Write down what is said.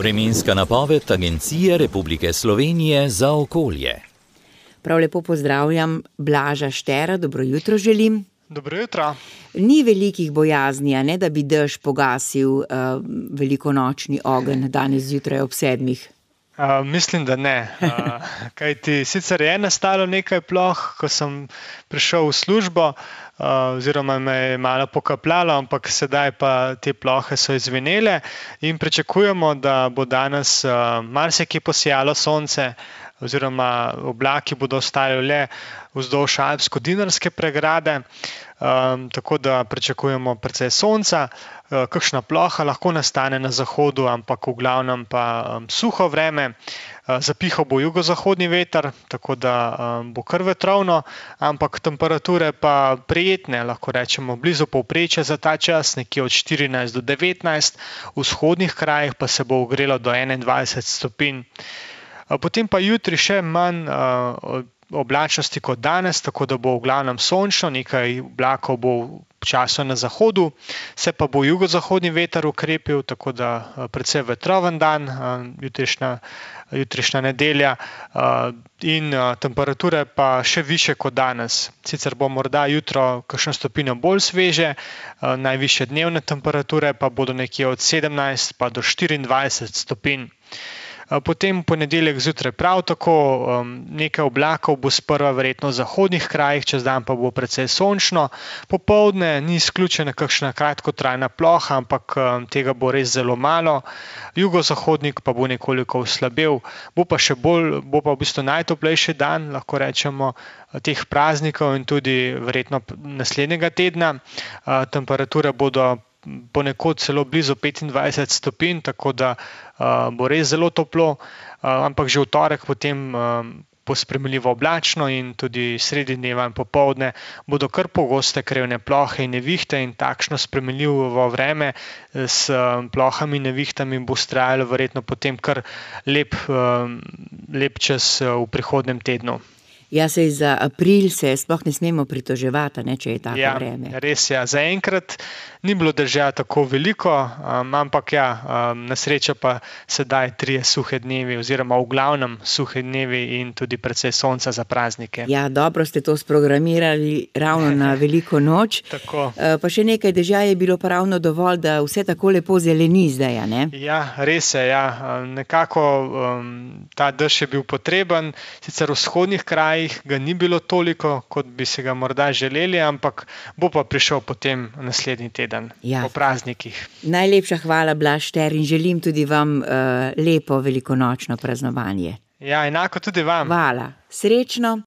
Vremenska napoved Agencije Republike Slovenije za okolje. Prav lepo pozdravljam Blaža Štera, dobro jutro želim. Dobro jutro. Ni velikih bojazni, a ne, da bi dež pogasil velikonočni ogenj danes zjutraj ob 7. Mislim, da ne. Kajti sicer je nastalo nekaj ploh, ko sem prišel v službo, oziroma me je malo pokapljalo, ampak sedaj pa te plohe so izvenele in pričakujemo, da bo danes marsikje posijalo sonce, oziroma oblaki bodo ostali le vzdolž alpsko-dinarske pregrade, tako da pričakujemo precej sonca. Kakšna ploha lahko nastane na zahodu, ampak v glavnem pa suho vreme. Zapihal bo jugozahodni veter, tako da bo kar vetrovno, ampak temperature pa prijetne, lahko rečemo blizu povprečja za ta čas, nekje od 14 do 19, v vzhodnih krajih pa se bo ogrelo do 21 stopinj. Potem pa jutri še manj oblačnosti kot danes, tako da bo v glavnem sončno, nekaj oblakov bo včasih na zahodu, se pa bo jugozahodni veter ukrepil, tako da precej vetroven dan, jutrišnja nedelja in temperature pa še više kot danes. Sicer bo morda jutro kakšno stopinjo bolj sveže, najvišje dnevne temperature pa bodo nekje od 17 pa do 24 stopinj. Potem ponedeljek zjutraj prav tako, nekaj oblakov bo sprva verjetno v zahodnih krajih, čez dan pa bo precej sončno. Popoldne ni izključena kakšna kratkotrajna ploha, ampak tega bo res zelo malo. Jugozahodnik pa bo nekoliko oslabel, bo pa v bistvu najtoplejši dan, lahko rečemo, teh praznikov in tudi verjetno naslednjega tedna. Temperature bodo ponekod celo blizu 25 stopinj, tako da bo res zelo toplo, ampak že v torek potem bo sprejemljivo oblačno in tudi sredi dneva in popoldne bodo kar pogoste krevne plohe in nevihte in takšno sprejemljivo vreme s plohami in nevihtami bo vztrajalo verjetno potem kar lep čas v prihodnjem tednu. Ja, saj za april se sploh ne smemo pritoževati, ne, če je tako vreme. Ja, res je. Zaenkrat ni bilo dežja tako veliko, ampak na srečo pa sedaj 3 suhe dnevi oziroma v glavnem suhe dnevi in tudi precej sonca za praznike. Ja, dobro ste to sprogramirali ravno na veliko noč. Tako. Pa še nekaj dežja je bilo pa ravno dovolj, da vse tako lepo zeleni zdaj, ne? Ja, res je, ja. Nekako ta dež je bil potreben, sicer v vzhodnih krajih ga ni bilo toliko, kot bi se ga morda želeli, ampak bo pa prišel potem naslednji teden, po praznikih. Najlepša hvala, Blaž Šter, in želim tudi vam lepo velikonočno praznovanje. Ja, enako tudi vam. Hvala. Srečno.